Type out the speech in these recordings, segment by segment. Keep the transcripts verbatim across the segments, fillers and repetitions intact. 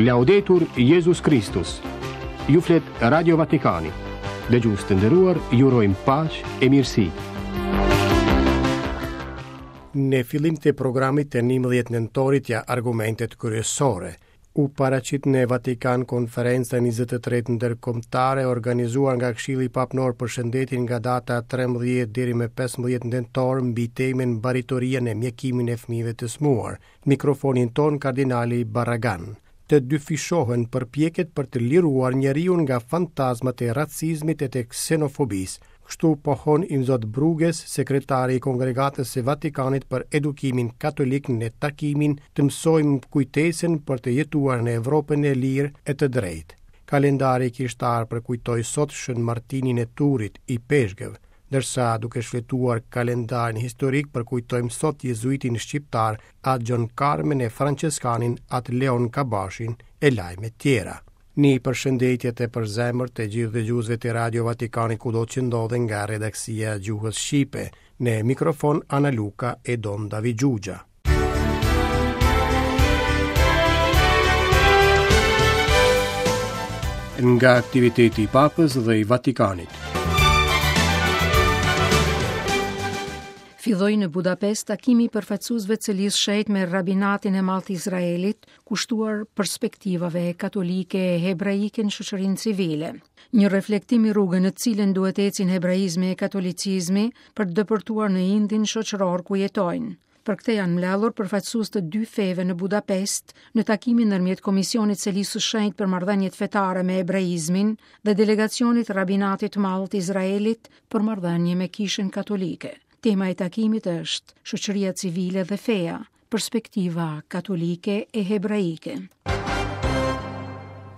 Laudetur Jezus Kristus. Ju flet Radio Vatikani. Dëgjues të nderuar, ju urojmë paqe e mirësi. Në fillim të programit të njëmbëdhjetë nëntorit ja argumentet kryesore. U paraqit në Vatikan konferenca njëzet e tretë ndërkombëtare organizuar nga Këshilli Papnor për Shëndetin nga data trembëdhjetë deri më pesëmbëdhjetë nëntor mbi temën Baritoria në mjekimin e fëmijëve të smuar. Mikrofonin ton kardinali Barragan. Të dyfishohen përpjekjet për të liruar njeriun nga fantazmat e racizmit e të ksenofobisë. Kështu pohon Imzot Bruges, sekretari i Kongregatës së Vatikanit për Edukimin Katolik në takimin të mësojmë kujtesën për të jetuar në Evropën e lirë e të drejtë. Kalendari kishtar përkujtoi sot Shën Martinin e Turit i Peshgëve, ndërsa duke shfletuar kalendarin historik përkujtojmë sot jezuitin shqiptar Atë Gjon Karmen e Françeskanin Atë Leon Kabashin e lajme tjera. Një përshëndetje të përzemërt të gjithë dëgjuesve të Radio Vatikanit kudo që ndodhen nga redaksia e gjuhës shqipe. Në mikrofon Ana Luka e Don David Xhuxha. Nga aktiviteti i Papës dhe i Vatikanit. Filloi në Budapest takimi i përfaqësuesve të Selisë Shenjtë me rabinatin e madh të Izraelit, kushtuar perspektivave katolike e hebraike në shoqërinë civile. Një reflektim i rrugën në të cilën duhet ecin hebraizmi e katolicizmi për të depërtuar në indin shoqëror ku jetojnë. Për këtë janë mbledhur përfaqësues të dy feve në Budapest në takimin ndërmjet Komisionit Selisë së Shenjtë për marrëdhëniet fetare me hebraizmin dhe delegacionit Rabinatit të Madh të Izraelit për marrëdhënie me Kishën Katolike. Tema e takimit është shoqëria civile dhe feja, perspektiva katolike e hebraike.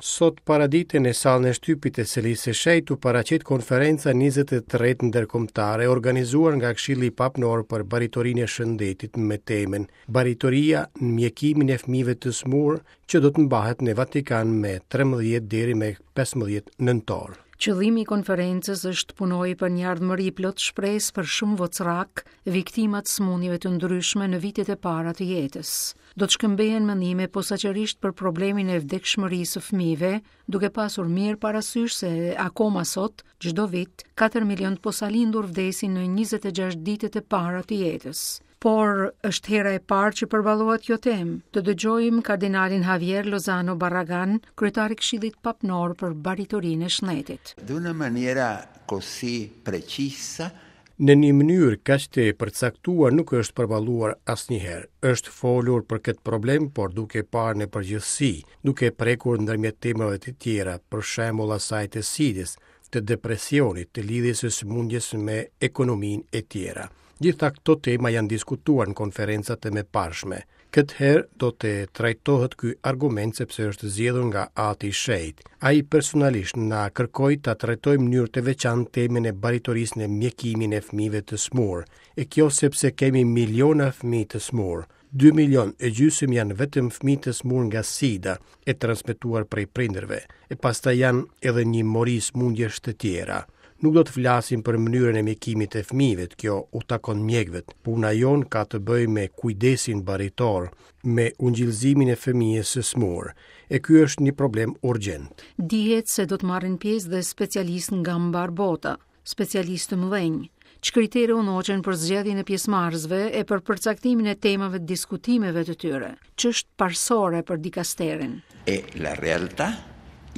Sot paradite në sallën e shtypit të Selisë së Shenjtë u paraqit konferenca njëzet e tretë ndërkombëtare organizuar nga Këshilli Papnor për Baritorinë e Shëndetit me temën Baritoria në mjekimin e fëmijëve të smur, që do të mbahet në Vatikan me trembëdhjetë deri me pesëmbëdhjetë nëntor. Qëllimi i konferencës është të punojë për një ardhmëri plot shpresë për shumë vocrak, viktimat sëmundjeve të ndryshme në vitet e para të jetës. Do të shkëmbehen mendime posaçërisht për problemin e vdekshmërisë së fëmijëve, duke pasur mirë parasysh se akoma sot, çdo vit, katër milion të posalindur vdesin në njëzet e gjashtë ditët e para të jetës. Por është hera e parë që përballohet kjo temë. Të dëgjojmë kardinalin Javier Lozano Barragan, kryetar i Këshillit Papnor për Baritorinë e Shëndetit. D'una maniera così precisa. Në një mënyrë kaq të përcaktuar nuk është përballuar asnjëherë. Është folur për këtë problem, por duke parë në përgjithësi, duke prekur ndërmjet temave të tjera, për shembull asaj të sidës, të depresionit, të lidhjes së sëmundjes me ekonominë e tjera. Gjitha këto tema janë diskutuar në konferencat e mëparshme. Këtë herë do të trajtohet ky argument sepse është zgjedhur nga Ati i Shenjtë. Ai personalisht na kërkoi ta trajtojmë në mënyrë të veçantë temën e baritorisë në mjekimin e fëmijëve të smur, e kjo sepse kemi miliona fëmijë të smur. Dy milion e gjysmë janë vetëm fëmijë të smur nga sida, e transmetuar prej prindërve, e pastaj janë edhe një mori sëmundjesh të tjera. Nuk do të flasim për mënyrën e mjekimit të fëmijëve, kjo u takon mjekëve. Puna jonë ka të bëjë me kujdesin baritor, me ungjillëzimin e fëmijës së smur, e ky është një problem urgjent. Dihet se do të marrin pjesë dhe specialistë nga mbar bota, specialistë të mëdhenj. Ç'kritere u ndoqën për zgjedhjen e pjesëmarrësve e për përcaktimin e temave të diskutimeve të tyre, ç'është parësore për dikasterin? E la realtà,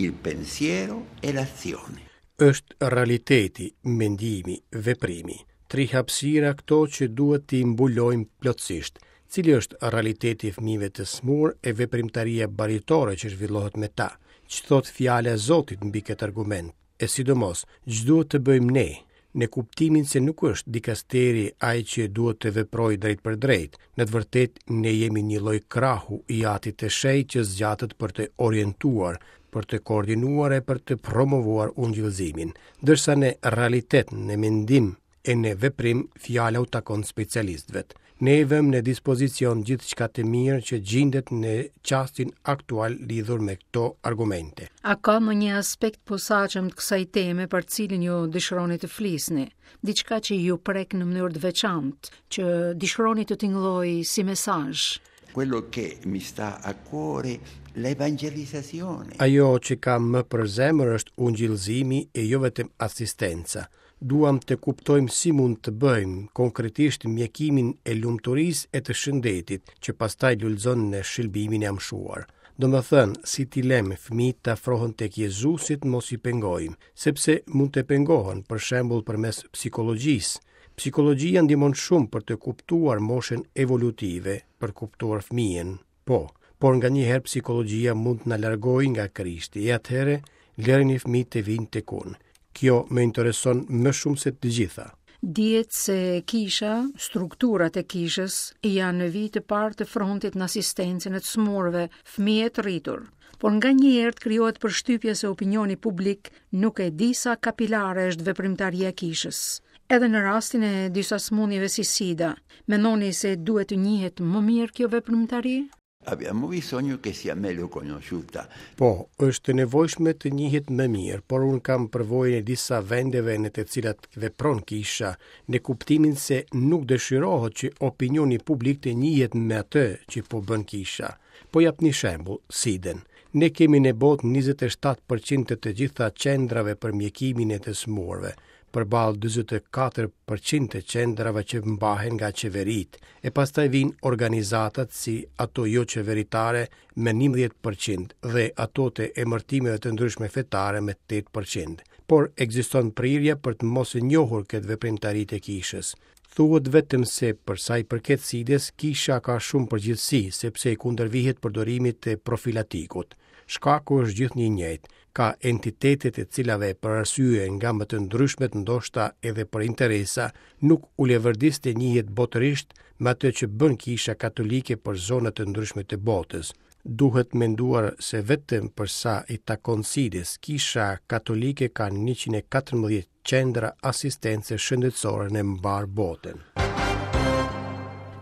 il pensiero e l'azione. Është realiteti, mendimi, veprimi. Tri hapësira këto që duhet t'i mbulojmë plotësisht. Cili është realiteti i fëmijëve të smur e veprimtaria baritore që zhvillohet me ta? Ç'thot fjala e Zotit mbi këtë argument? E sidomos, ç'duhet të bëjmë ne? Në kuptimin se nuk është dikasteri ai që duhet të veprojë drejt për drejt. Në të vërtetë, ne jemi një lloj krahu i Atit të Shenjtë që zgjatet për të orientuar, për të koordinuar e për të promovuar ungjillëzimin, ndërsa në realitet, në mendim e në veprim, fjala u takon specialistëve. Ne i vëmë në dispozicion gjithçka të mirë që gjendet në çastin aktual lidhur me këto argumente. A ka më një aspekt posaçëm të kësaj teme për cilin ju dëshironi të flisni? Diçka që ju prek në mënyrë të veçantë, që dëshironi të tingëllojë si mesazh? Quello che mi sta a cuore l'evangelizzazione. Ajo që kam më për zemër është ungjillëzimi e jo vetëm asistenca. Duam të kuptojmë si mund të bëjmë konkretisht mjekimin e lumturisë e të shëndetit, që pastaj lulëzon në shëlbimin e amshuar. Do më thënë, si t'i lëmë fëmijët të afrohen tek Jezusit, mos i pengojmë, sepse mund të pengohen, për shembull përmes psikologjisë. Psikologjia ndihmon shumë për të kuptuar moshën evolutive, për kuptuar fëmijën. Po, por nganjëherë psikologjia mund të na largojë nga Krishti, e atëherë lëreni fëmijët të vinë tek unë. Kjo më intereson më shumë se të gjitha. Dihet se kisha, strukturat e kishës, janë në vijë të parë të frontit në asistencën e të smurve, fëmijë të rritur. Por nganjëherë të krijohet përshtypja se opinioni publik nuk e di sa kapilare është veprimtaria e kishës. Edhe në rastin e disa sëmundjeve si SIDA, mendoni se duhet të njihet më mirë kjo veprimtari? Abbiamo bisogno che sia meglio conosciuta. Po, është e nevojshme të njihet më mirë, por unë kam përvojën e disa vendeve në të cilat vepron kisha, në kuptimin se nuk dëshirohet që opinioni publik të njihet me atë që po bën kisha. Po jap një shembull, SIDën. Ne kemi në botë njëzet e shtatë përqind të të gjitha qendrave për mjekimin e të sëmurëve, përballë dyzet e katër përqind të qendrave që mbahen nga qeveritë, e pastaj vijnë organizatat si ato jo qeveritare me njëmbëdhjetë përqind dhe ato të emërtimeve të ndryshme fetare me tetë përqind. Por ekziston prirja për të mos e njohur këtë veprimtari të kishës. Thuhet vetëm se për sa i përket SIDës, kisha ka shumë përgjegjësi, sepse i kundërvihet përdorimit të profilatikut. Shkaku është gjithnjë i njëjtë. Ka entitetet e cilave për arsye nga më të ndryshmet, ndoshta edhe për interesa, nuk u leverdis të njihet botërisht me atë që bën kisha katolike për zonat të ndryshme të botës. Duhet menduar se vetëm për sa i takon SIDës, kisha katolike ka njëqind e katërmbëdhjetë qendra asistence shëndetësore në mbar botën.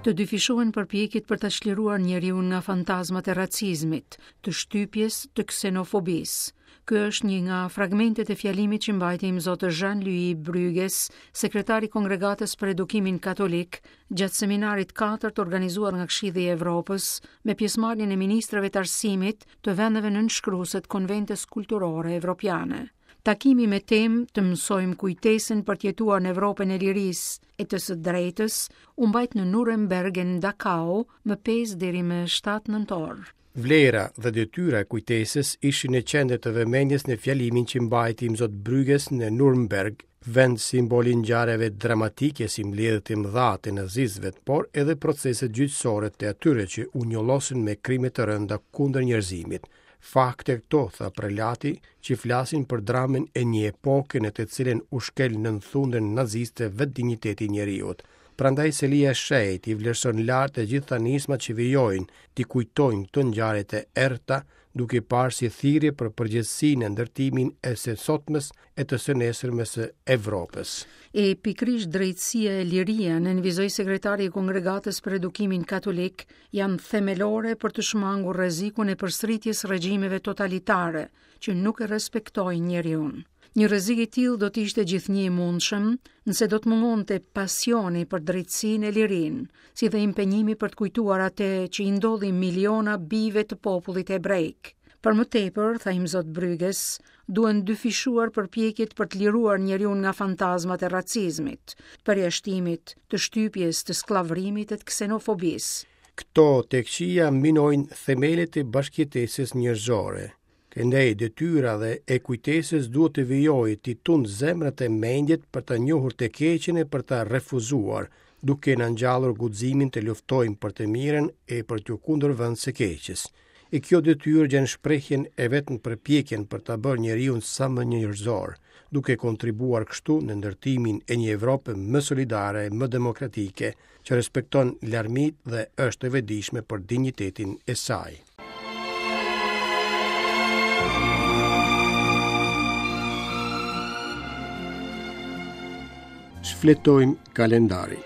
Të dyfishohen përpjekjet për ta çliruar njeriu nga fantazmat e racizmit, të shtypjes, të ksenofobisë. Ky është një nga fragmentet e fjalimit që mbajti imzot Jean-Louis Brugues, sekretari i Kongregatës për Edukimin Katolik, gjatë seminarit katër të organizuar nga Këshilli i Evropës, me pjesëmarrjen e ministrave të arsimit të vendeve nënshkruese të Konventës Kulturore Evropiane. Takimi me temë të mësojmë kujtesën për të jetuar në Evropën e lirisë e të së drejtës u mbajt në Nuremberg në Dachau më pesë deri më shtatë nëntor. Vlera dhe detyra e kujtesës ishin në qendër të vëmendjes në fjalimin që mbajti imzot Brugues në Nuremberg, vend simbol i ngjarjeve dramatike si mbledhjet e mëdha të nazistëve, por edhe proceset gjyqësore të atyre që u njollosën me krime të rënda kundër njerëzimit. Fakte këto, tha prelati, që flasin për dramën e një epoke në të cilën u shkel nën thundën naziste vetë dinjiteti i njeriut. Prandaj Selia e Shenjtë i vlerëson lart të gjitha nismat që vijojnë t'i kujtojnë këto ngjarje të errëta, duke parë si thirrje për përgjegjësinë në ndërtimin e së sotmes e të së nesërmes së Evropës. E pikërisht drejtësia e liria, nënvizoi sekretari i Kongregatës për Edukimin Katolik, janë themelore për të shmangur rrezikun e përsëritjes regjimeve totalitare që nuk e respektojnë njeriun. Një rrezik i tillë do të ishte gjithnjë i mundshëm nëse do të mungonte pasioni për drejtësinë e lirinë, si dhe impenjimi për të kujtuar atë që i ndodhi miliona bijve të popullit hebrejk. Për më tepër, tha imzot Brugues, duhen dyfishuar përpjekjet për të liruar njeriu nga fantazmat e racizmit, përjashtimit, të shtypjes, të skllavrimit e të ksenofobisë. Këto të këqija minojnë themelet e bashkëjetesës njerëzore. Këndej detyra dhe e kujtesës duhet të vijojë t'i tund zemrat e mendjet për ta njohur të keqen e për ta refuzuar, duke na ngjallur guximin të luftojmë për të mirën e për t'u kundërvënë së keqes. E kjo detyrë gjen shprehjen e vetëm përpjekjen për ta bërë njeriu sa më njerëzor, duke kontribuar kështu në ndërtimin e një Evrope më solidare, më demokratike, që respekton larmitë dhe është e vetëdijshme për dinjitetin e saj. Shfletojmë kalendarin.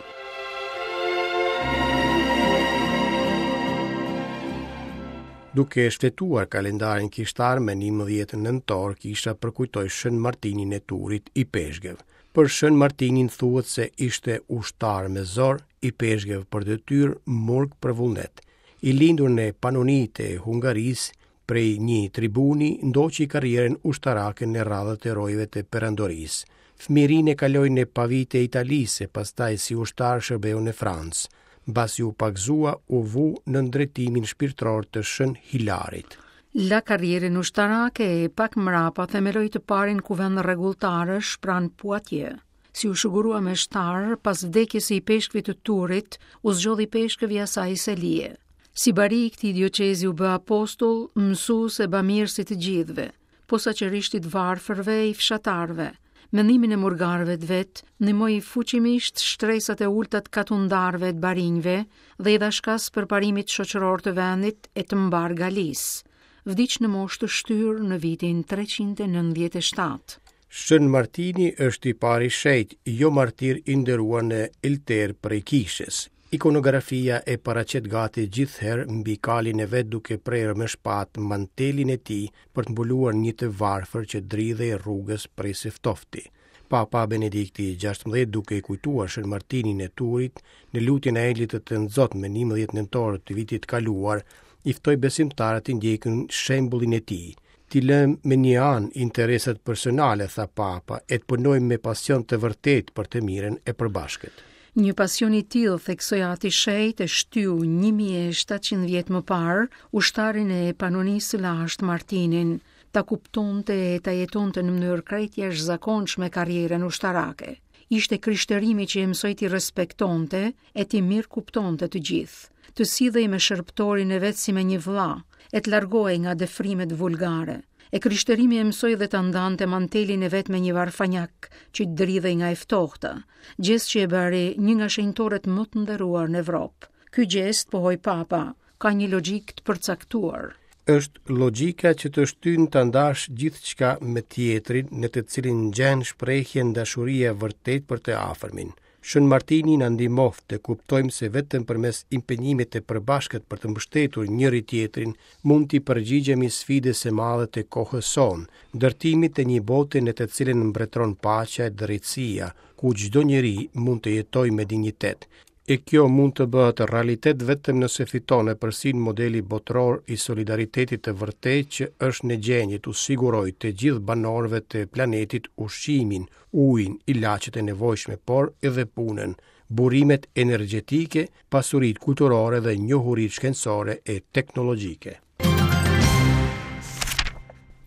Duke shfletuar kalendarin kishtar me njëmbëdhjetë nëntor, kisha përkujtoi Shën Martinin e Turit i Peshgëv. Për Shën Martinin thuhet se ishte ushtar me zor, i Peshgëv për detyrë, murg për vullnet. I lindur në Panonitë e Hungarisë, Prej një tribuni ndoqi karrierën ushtarake në radhët e rojeve të perandorisë. Fëmijërinë e kaloi në Pavi të Italisë, pastaj si ushtar shërbeu në Francë. Mbasi u pagëzua, u vu nën drejtimin shpirtëror të Shën Hilarit. La karrierën ushtarake e pak mrapa themeloi të parin kuvend rregulltarësh pranë Poitiers. Si u shugurua me shtar, pas vdekjes së ipeshkvit të Turit, u zgjodhi ipeshkëv i asaj selie. Si bari i këtij dioqezi u bë apostull, mësues e bamirës i të gjithëve, posaçërisht i të varfërve e i fshatarëve. Me ndihmën e murgarëve të vet, ndihmoi fuqimisht shtresat e ulta të katundarëve të barinjve dhe i dha shkas përparimit shoqëror të vendit e të mbar Galisë. Vdiq në moshë të shtyrë në vitin treqind e nëntëdhjetë e shtatë. Shën Martini është i pari shenjt, jo martir i nderuar në Elter prej kishës. Ikonografia e paraqet gati gjithherë mbi kalin e vet duke prerë me shpatë mantelin e tij për të mbuluar një të varfër që dridhej rrugës prej së ftofti. Papa Benedikti gjashtëmbëdhjetë duke i kujtuar Shën Martinin e Turit në lutjen e Engjëllit të Tënzot më njëmbëdhjetë nëntor të vitit kaluar, i ftoi besimtarët të ndjekin shembullin e tij. Ti lëmë me një anë interesat personale, tha Papa, e të punojmë me pasion të vërtetë për të mirën e përbashkët. Një pasion i tillë, theksoi Ati Shenjt, e shtyu një mijë e shtatëqind vjet më parë ushtarin e Panonisë së lashtë Martinin, ta kuptonte e ta jetonte në mënyrë krejt jashtëzakonshme karrierën ushtarake. Ishte krishtërimi që e mësoi t'i respektonte e t'i mirëkuptonte të gjithë, të sillej me shërbëtorin e vet si me një vëlla, e të largohej nga dëfrimet vulgare. E krishtërimi e mësoi dhe ta ndante mantelin e vet me një varfanjak që dridhej nga e ftohta, gjest që e bëri një nga shenjtorët më të nderuar në Evropë. Ky gjest, pohoi Papa, ka një logjikë të përcaktuar. Është logjika që të shtyn ta ndash gjithçka me tjetrin, në të cilin gjen shprehjen dashuria e vërtetë për të afërmin. Shën Martini na ndihmoft të kuptojmë se vetëm përmes impenjimit të përbashkët për të mbështetur njëri tjetrin mund t'i përgjigjemi sfidës së madhe të kohës sonë, ndërtimit të një bote në të cilën mbretëron paqja e drejtësia, ku çdo njeri mund të jetojë me dinjitet. E kjo mund të bëhet realitet vetëm nëse fiton epërsinë modeli botëror i solidaritetit të vërtetë që është në gjendje t'u sigurojë të gjithë banorëve të planetit ushqimin, ujin, ilaçet e nevojshme, por edhe punën, burimet energjetike, pasuritë kulturore dhe njohuritë shkencore e teknologjike.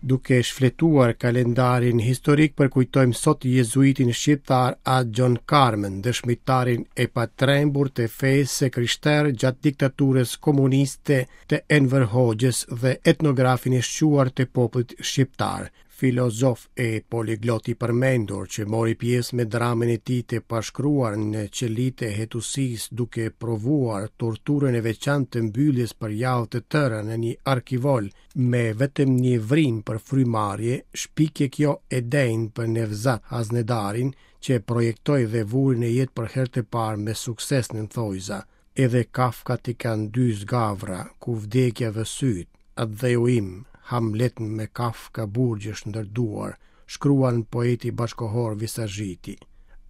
Duke shfletuar kalendarin historik, përkujtojmë sot jezuitin shqiptar At Gjon Karmën, dëshmitarin e patrembur të fesë së krishterë gjatë diktaturës komuniste të Enver Hoxhës dhe etnografin e shquar të popullit shqiptar, filozof e poliglot i përmendur që mori pjesë me dramën e tij të pashkruar në qelitë e hetusisë duke provuar torturën e veçantë të mbylljes për javë të tëra në një arkivol me vetëm një vrimë për frymarrje, shpikje kjo e denjë për Nevzat Haznedarin që projektoi dhe vuri në jetë për herë të parë me sukses në thojza. Edhe kafkat i kanë dy zgavra, ku vdekja vë syt, atdheu im, Hamlet me kafka burgjesh ndërduar, shkruan poeti bashkohor Visazhiti.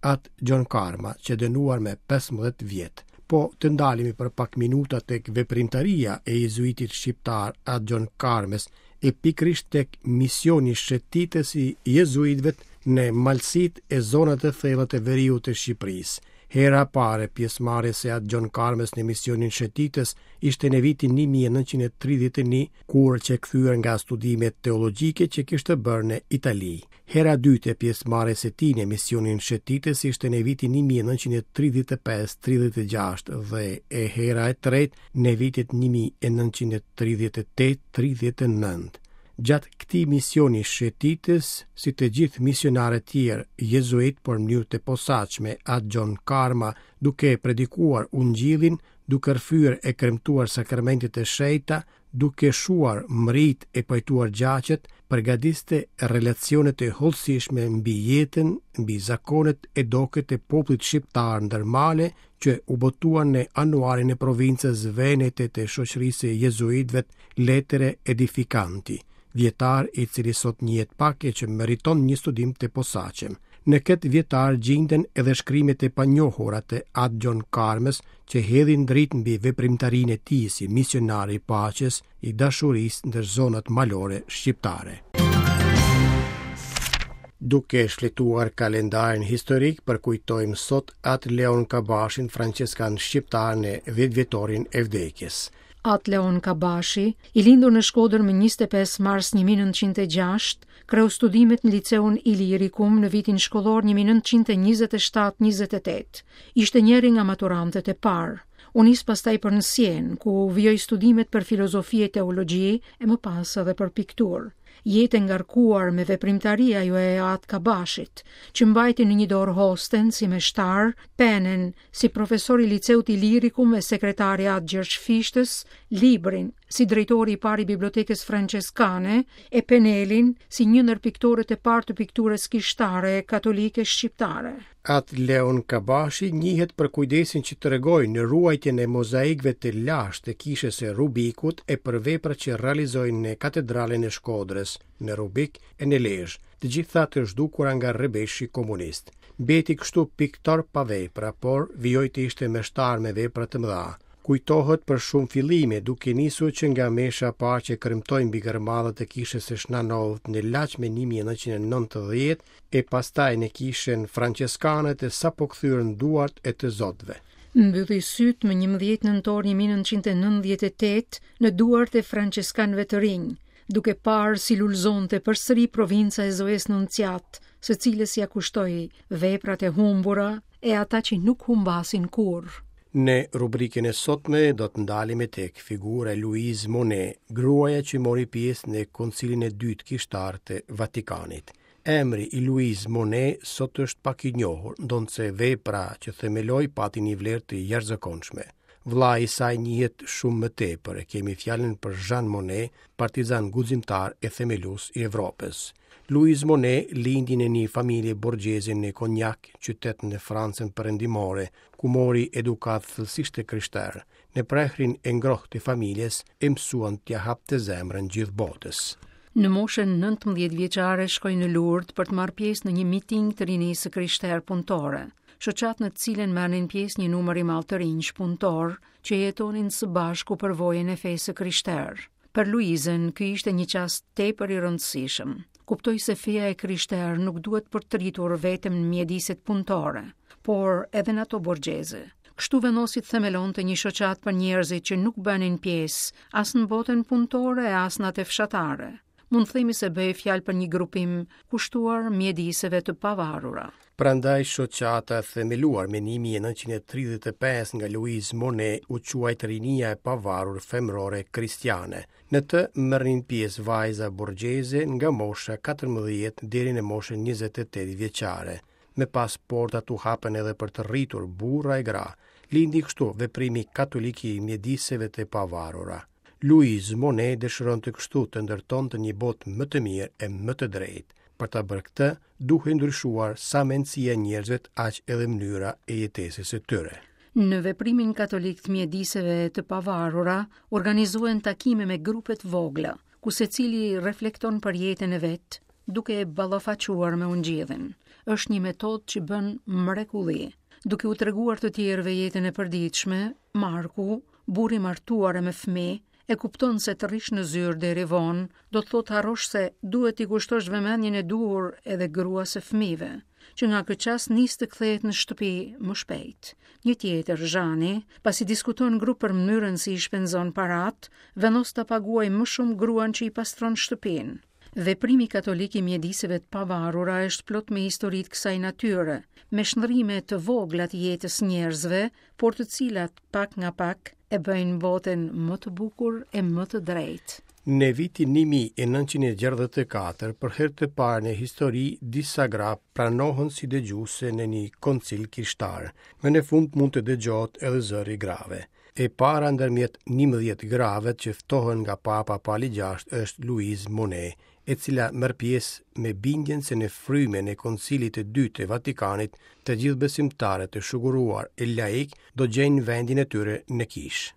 At Gjon Karma, që dënuar me pesëmbëdhjetë vjet. Po të ndalemi për pak minuta tek veprimtaria e jezuitit shqiptar At Gjon Karmës e pikërisht tek misioni shëtitës i jezuitëve në malësitë e zonat e thella të veriut të Shqipërisë. Hera e parë e pjesëmarrjes së At Gjon Karmës në misionin shëtitës ishte në vitin një mijë e nëntëqind e tridhjetë e një, kur qe kthyer nga studimet teologjike që kishte bërë në Itali. Hera e dytë e pjesëmarrjes së tij në misionin shëtitës ishte në vitin një mijë e nëntëqind e tridhjetë e pesë tridhjetë e gjashtë dhe e hera e tretë në vitet një mijë e nëntëqind e tridhjetë e tetë tridhjetë e nëntë. Gjatë këtij misioni shëtitës, si të gjithë misionarët tjerë jezuit por në mënyrë të posaçme, At Gjon Karma, duke predikuar ungjillin, duke rrëfyer e kremtuar sakramentet e shenjta, duke shuar mërit e pajtuar gjaqet, përgatiste relacionet e hollësishme mbi jetën, mbi zakonet e doket e popullit shqiptar ndër male që u botuan në anuarin e provincës Venete të shoqërisë së jezuitëve Lettere Edificanti, vjetar i cili sot njihet pak e që meriton një studim të posaçëm. Në këtë vjetar gjinden edhe shkrimet e panjohura të At Gjon Karmës që hedhin dritë mbi veprimtarinë e tij si misionar i paqes, i dashurisë ndër zonat malore shqiptare. Duke shfletuar kalendarin historik, përkujtojmë sot At Leon Kabashin, françeskan shqiptar në dhjetëvjetorin e vdekjes. At Leon Kabashi, i lindur në Shkodër më njëzet e pesë mars një mijë e nëntëqind e gjashtë, kreu studimet në liceun Ilirikum në vitin shkollor një mijë e nëntëqind e njëzet e shtatë njëzet e tetë. Ishte njëri nga maturantët e parë. U nis pastaj për në Sienë, ku vijoi studimet për filozofi e teologji e më pas edhe për pikturë. Jetë e ngarkuar me veprimtari ajo e At Kabashit, që mbajti në një dorë hosten si meshtar, penen si profesor i liceut Ilirikum e sekretari At Gjergj Fishtës, librin si drejtori i parë i bibliotekës franceskane e penelin si një ndër piktorët e parë të pikturës kishtare katolike shqiptare. At Leon Kabashi njihet për kujdesin që tregoi në ruajtjen e mozaikëve të lashtë të kishës së Rubikut e për veprat që realizoi në katedralen e Shkodrës, në Rubik e në Lezhë, të gjitha të zhdukura nga rrebeshi komunist. Mbeti kështu piktor pa vepra, por vijoi të ishte meshtar me vepra të mëdha. Kujtohet për shumë fillime, duke nisur që nga mesha e parë që kremtoi mbi gërmadhat e kishës së Shnanovit në Laç me një mijë e nëntëqind e nëntëdhjetë e pastaj në kishën franceskane të sapo kthyer në duart e të zotëve. Mbylli sytë më njëmbëdhjetë nëntor një mijë e nëntëqind e nëntëdhjetë e tetë në duart e franceskanëve të rinj, duke parë si lulzonte përsëri provinca e Zoes Nunciat, së cilës ia kushtoi veprat e humbura e ata që nuk humbasin kurrë. Në rubrikën e sotme do të ndalemi tek figura e Louise Monnet, gruaja që mori pjesë në Koncilin e Dytë Kishtar të Vatikanit. Emri i Louise Monnet sot është pak i njohur, ndonëse vepra që themeloi pati një vlerë të jashtëzakonshme. Vllai i saj njihet shumë më tepër, e kemi fjalën për Jean Monnet, partizan guximtar e themelues i Evropës. Louise Monnet lindi në një familje borgjeze në Cognac, qytet në Francën perëndimore, ku mori edukat thellësisht të krishterë. Në prehrin e ngrohtë të familjes e mësuan t'ia hapte zemrën gjithë botës. Në moshën nëntëmbëdhjetë vjeçare shkoi në Lourdes për të marrë pjesë në një miting të rinisë së krishterë punëtore, shoqatë në të cilën merrnin pjesë një numër i madh të rinjsh punëtor që jetonin së bashku përvojën e fesë së krishterë. Për Luizën, ky ishte një çast tepër i rëndësishëm. Kuptoi se feja e krishterë nuk duhet përtritur vetëm në mjediset punëtore, por edhe në ato borgjeze. Kështu vendosi të themelonte një shoqatë për njerëzit që nuk bënin pjesë as në botën punëtore e as në atë fshatare. Mund të themi se bëhej fjalë për një grupim kushtuar mjediseve të pavarura. Prandaj shoqata e themeluar me një mijë e nëntëqind e tridhjetë e pesë nga Louise Monnet u quajt Rinia e Pavarur Femërore Kristiane. Në të merrnin pjesë vajza borgjeze nga mosha katërmbëdhjetë deri në moshën njëzet e tetë vjeçare. Me pas portat u hapën edhe për të rritur burra e gra. Lindi kështu veprimi katolik i mjediseve të pavarura. Louise Monnet dëshironte kështu të ndërtonte një botë më të mirë e më të drejtë. Për ta bërë këtë, duhej ndryshuar sa mendësia e njerëzve, aq edhe mënyra e jetesës së tyre. Në veprimin katolik të mjediseve të pavarura, organizohen takime me grupe të vogla, ku secili reflekton për jetën e vet, duke e ballafaquar me ungjillin. Është një metodë që bën mrekulli. Duke u treguar të tjerëve jetën e përditshme, Marku, burri martuar e me fëmijë, e kupton se të rrish në zyrë deri vonë, do të thotë harrosh se duhet t'i kushtosh vëmendjen e duhur edhe gruas së fëmijëve, që nga ky çast nis të kthehet në shtëpi më shpejt. Një tjetër, Zhani, pasi diskuton grup për mënyrën si i shpenzon parat, vendos ta paguajë më shumë gruan që i pastron shtëpinë. Veprimi katolik i mjediseve të pavarura është plot me histori të kësaj natyre, me shndrime të vogla të jetës njerëzve, por të cilat pak nga pak e bëjnë botën më të bukur e më të drejtë. Në vitin një mijë e nëntëqind e gjashtëdhjetë e katër, për herë të parë në histori, disa gra pranohen si dëgjuese në një koncil kishtar. Më në fund mund të dëgjohet edhe zëri i grave. E para ndërmjet njëmbëdhjetë grave që ftohen nga Papa Pali gjashtë është Louise Monnet, e cila merr pjesë me bindjen se në frymën e Koncilit të Dytë të Vatikanit, të gjithë besimtarët e shuguruar e laik do gjejnë vendin e tyre në kishë.